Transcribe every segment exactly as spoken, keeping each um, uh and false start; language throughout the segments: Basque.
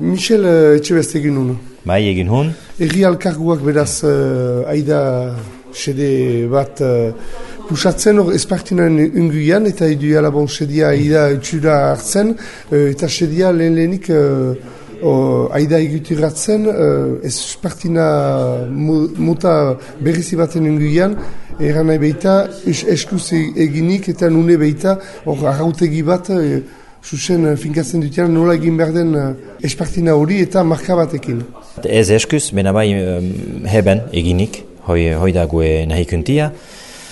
Michel uh, Etxebest egin hon. Bai, egin hon. Erri alkarguak beraz uh, aida sede bat uh, pusatzen hor espartinaren unguian eta iduela bon sedia aida utxura hartzen uh, eta sedia lehen lehenik uh, uh, aida egutiratzen uh, espartina muta berrizi baten unguian eran nahi behita es, eskuz eginik eta nune behita hor arrautegi bat uh, Zuzen finkatzen dutean nola egin behar den uh, espartina hori eta marka batekin. Ez eskuz, bena bai um, heben eginik, hoi, hoi da gue nahi kuntia.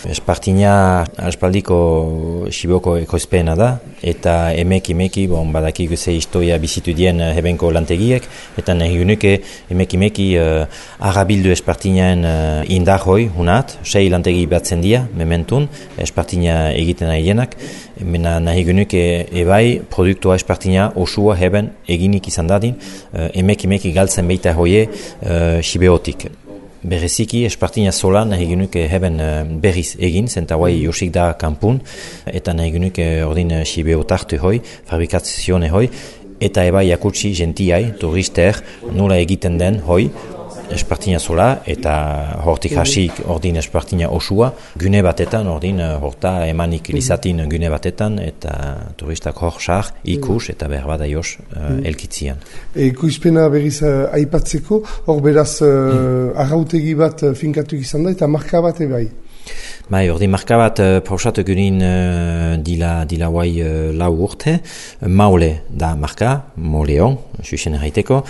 Espartina aspaldiko Siboko ekoizpena da, eta emeki emeki, bon, badaki guze historia bizitu dien hebenko lantegiek, eta nahi gunuke emeki emeki uh, arabildu espartinaen uh, indar hoi, hunat, sei lantegi batzen dia, mementun, espartina egiten nahi dienak, mena nahi gunuke ebai produktua espartina osua heben eginik izan dadin, uh, emeki emeki galtzen beita hoie uh, Sibeotik. Bereziki, espartina sola nahi genuke heben berriz egin, zenta guai josik da kanpun, eta nahi genuke ordin Sibeo tartu hoi, fabrikazione hoi, eta eba jakutsi gentiai, turister, nola egiten den hoi, espartina sola, eta hortik hasik ordin espartina osua, gune batetan, ordin horta emanik lizatin gune batetan, eta turistak hor sar, ikus, eta berbada jos uh, elkitzian. Ekoizpena berriz uh, aipatzeko, hor beraz uh, arrautegi bat finkatu izan da, eta marka bat ebai. Bai, ordi marka bat uh, pausatu gurin uh, dila, dila guai uh, lau urte, Maule da marka, Moleon, susen erraiteko,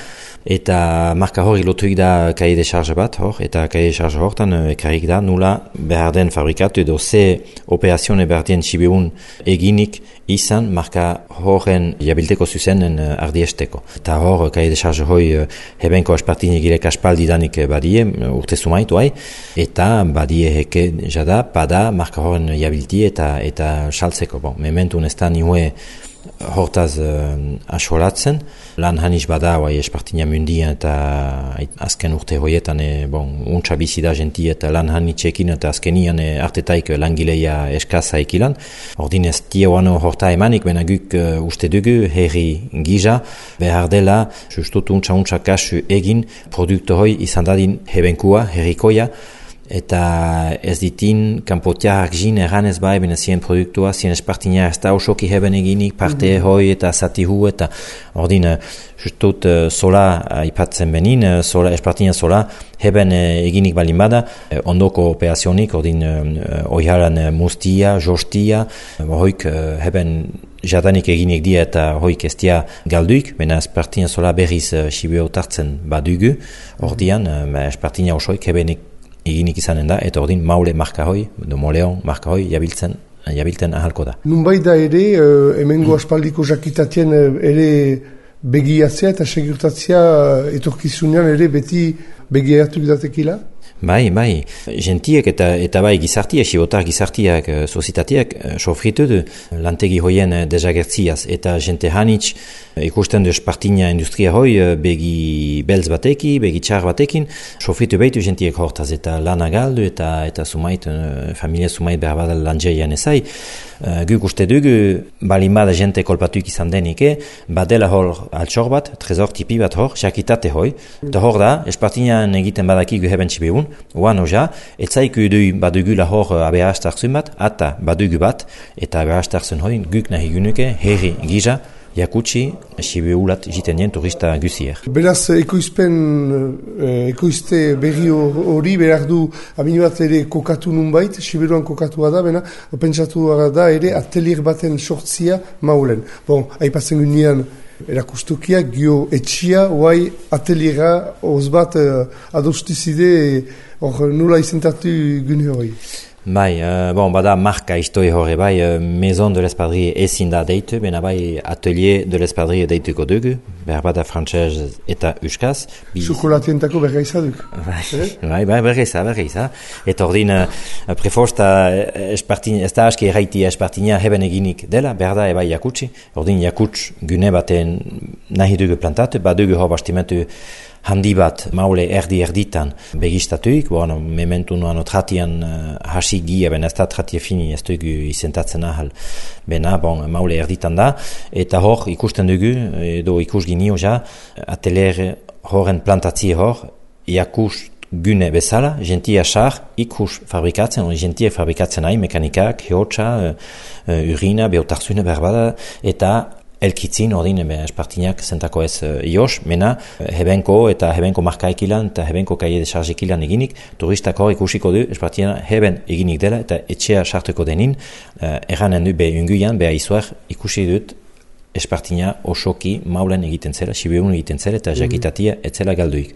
eta marka hori lotuik da kaie de charge bat hor, eta kaie de charge hortan uh, ekarrik da nula behar den fabrikatu edo ze operazione behar den Sibeun eginik izan marka horren jabilteko zuzenen uh, ardiesteko. Eta hor kaie de charge hoi uh, hebenko espartini girek aspaldi danik badie, uh, urte sumaitu hai, eta badie heke jada, bada marka horren jabilti eta eta saltzeko. Bon, mementun ez da nihue hortaz uh, asolatzen, lan haniz bada bai espartina mundia eta azken urte hoietan e, bon, untsa bizi da genti eta lan hanitzekin eta azkenian e, artetaik langileia eskaza ekilan. Ordin ez dioan horta emanik, bena guk uh, uste dugu herri giza behar dela justutu untsa untsa kasu egin produkto hoi izan dadin hebenkua, herrikoia, eta ez ditin kanpotiak jin erranez bai, bena zien produktua, zien espartina ez da osoki heben eginik, parte mm-hmm. hoi eta zatihu, eta ordin, justut uh, sola aipatzen benin, uh, sola, espartina sola, heben uh, eginik balin bada, uh, ondoko operazionik, ordin, uh, oiharan uh, mustia, jostia, uh, hoik uh, heben jadanik eginik dia eta hoik ez dia galduik, bena espartina sola berriz uh, Sibeo tartzen badugu, ordian, uh, espartina osoik hebenik eginik izanen da, eta ordin Maule marka hoi, edo Moleon marka hoi, jabiltzen, jabilten ahalko da. Nunbai da ere, uh, hemengo aspaldiko jakitatien uh, ere begiatzea eta segurtatzea uh, etorkizunean ere beti begiatuk datekila? Bai, bai, gentiek eta, eta bai gizartiak, sibotar gizartiak, sozitateak, sofritu du lantegi hoien desagertziaz, eta gente hanitz ikusten du espartina industria hoi begi belz bateki, begi txar batekin, sofritu behitu gentiek hortaz, eta lana galdu, eta, eta sumait, familia sumait behar badal lanjeian ezai. Uh, guk uste dugu, balin bada jente kolpatuik izan denike, badela hor altxor bat, trezor tipi bat hor, jakitate hoi, eta hor da, espartinan egiten badaki gu heben txibeun, oan oja, etzaiku du badugu la hor abeastartzun bat, ata badugu bat, eta abeastartzun hoi, guk nahi gunuke, herri giza, jakutsi, Sibeulat jiten dien turista guzier. Beraz, ekoizpen, ekoizte berri hori behar du amini bat ere kokatu nunbait, Siberuan kokatua da, bena, pentsatu da ere atelier baten sortzia Maulen. Bon, aipatzen gunean erakustokia, gio etxia, oai ateliera oz bat uh, adostizide hor nula izentatu gune hori. Bai, uh, bon, bada marka istoi hori bai, uh, Maison de l'Espadrille ezin da deitu, bena bai Atelier de l'Espadrille deituko dugu, behar bada frantzez eta euskaz. Chokolatientako bergaiza duk. Bai, eh? bai, bai, bergaiza, bergaiza. Eta ordin, uh, prefosta espartina, ez da aski erraiti espartina heben eginik dela, behar da ebai jakutsi. Ordin jakuts gune baten nahi dugu plantatu, badugu hor bastimentu handi bat maule erdi erditan begistatuik, bueno, mementu nuan otratian uh, hasi gia, ben ez da tratia fini, ez dugu izentatzen ahal, bena, bon, maule erditan da, eta hor ikusten dugu, edo ikus ginio ja, atelier horren plantatzie hor, iakus gune bezala, gentia sar, ikus fabrikatzen, gentia fabrikatzen nahi, mekanikak, heotxa, uh, urina, beotarzune berbada, eta elkitzin ordin espartinak zentako ez uh, ios, mena hebenko eta hebenko markaekilan eta hebenko kaie de chargekilan eginik, turistak hor ikusiko du espartina heben eginik dela eta etxea sartuko denin, uh, erranen du be unguian, be aizuar ikusi dut espartina osoki maulen egiten zela, sibeun egiten zela eta jakitatia etzela galduik.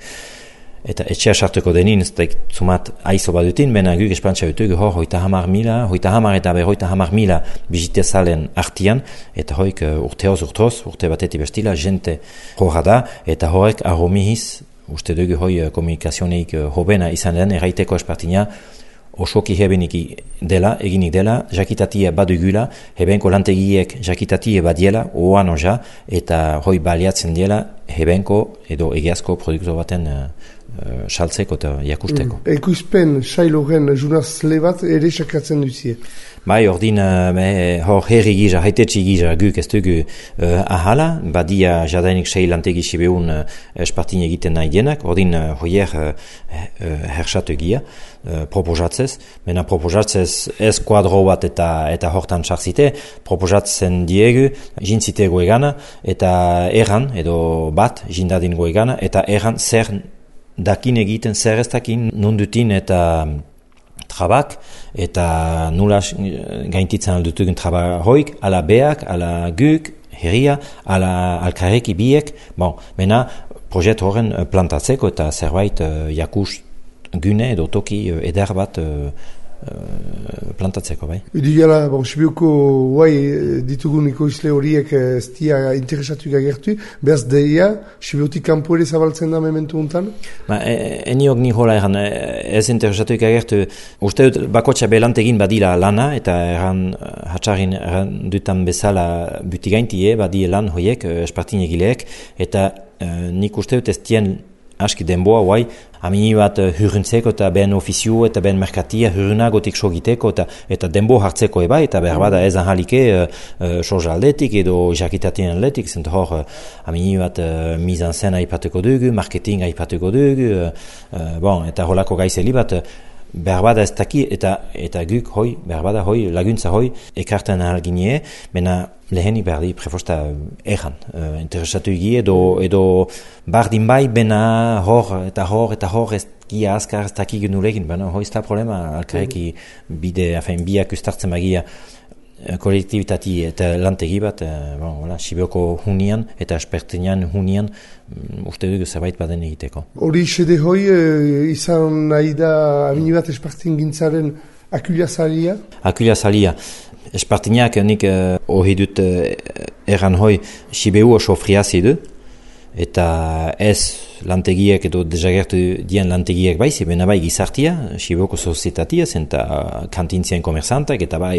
Eta etxea sartuko denin, ez da zumat aizo badutin, bena guk espantza dutuk, hor, hoita hamar mila, hoita hamar eta berroita hamar mila bizitezalen artian, eta hoik urteoz urtoz, urte bateti bestila, jente horra da, eta horrek arromihiz, uste dugu hoi komunikazioneik hobena izan den, erraiteko espartina, osoki hebenik dela, eginik dela, jakitatia badugula, hebenko lantegiek jakitatia badiela, oan oja, eta hoi baliatzen diela, hebenko edo egiazko produktu baten Uh, saltzeko eta jakusteko. Mm. Ekoizpen sailoren junazle bat ere sakatzen duzie? Bai, ordin uh, hor herri gisa, haitetsi gisa guk ez dugu uh, ahala, badia jadainik sei lantegi sibeun uh, espartin egiten nahi dienak, ordin uh, hoier uh, uh, hersatu egia, uh, proposatzez, mena proposatzez ez kuadro bat eta eta hortan sartzite, proposatzen diegu, jintzite goegana, eta erran, edo bat, jindadin goegana, eta erran zer dakin egiten, zer ez dakin nundutin eta trabak, eta nula gaintitzen aldutugun traba hoik, ala beak, ala guk, herria, ala alkareki biek, bon, mena proiekt horren plantatzeko eta zerbait uh, jakus gune edo toki uh, eder bat uh, plantatzeko, bai. Idiala, bon, Sibiuko guai ditugun ekoizle horiek ez dia interesatuik agertu, behaz deia, Sibiutik kanpo ere zabaltzen da mementu untan? Ba, eniok ni hola eran, ez interesatuik agertu, uste dut bakotxa belantegin badila lana, eta erran hatxarin erran dutan bezala butigaintie, badie lan hoiek, espartin egileek, eta uh, nik uste dut ez dien aski denboa, guai, amini bat uh, hurruntzeko eta ben ofizio eta ben merkatia hurrunagotik sogiteko eta, eta denbo hartzeko eba, eta behar bada ez ahalike uh, uh, soja aldetik edo jakitatien aldetik, zent hor uh, amini bat uh, mizan zen aipatuko dugu, marketing aipatuko dugu, uh, uh, bon, eta holako gaizeli bat, uh, behar bada ez daki, eta, eta guk hoi, behar bada hoi, laguntza hoi, ekartan ahalginie, mena leheni behar di prefosta erran, uh, interesatu egi edo, edo bardin bai, bena hor eta hor eta hor ez gia azkar ez daki genulegin, bena hoi ez da problema, alkareki bide, afen, biak ustartzen magia kolektibitati eta lantegi bat, uh, bon, voilà, Sibioko hunian eta espertinan hunian um, uste dugu zerbait baden egiteko. Hori sede hoi uh, izan nahi da amini bat espartin gintzaren akulia zalia? Akulia zalia. Espartinak nik uh, hori dut uh, erran hoi Sibiu oso friazi du, eta ez lantegiek edo desagertu dien lantegiek bai, zibena bai gizartia, Sibioko sozietatia, zenta kantintzien komerzantak, eta bai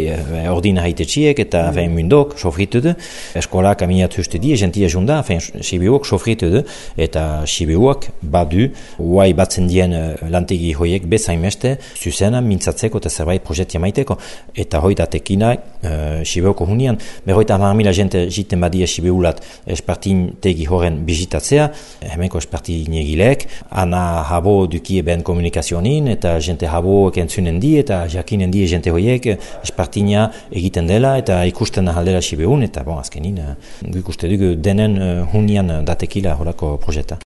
ordina haitetxiek, eta mm. fein mundok sofritu du, eskolak aminat hustu die, gentia junda, fein Sibiuak sofritu du, eta Sibiuak badu, huai batzen dien lantegi hoiek bezain meste, zuzena mintzatzeko eta zerbait projektia maiteko, eta hoi datekina uh, Sibioko hunian, berroita hamar mila jente jiten badia Sibiulat espartin tegi horren bizitatzea, hemenko espartin negilek, ana habo dukie ben komunikazionin, eta jente habo entzunen di, eta jakinen di jente hoiek, espartina egiten dela, eta ikusten ahaldela Sibeun, eta bon, azkenin, guk uste dugu denen uh, hunian datekila horako projekta.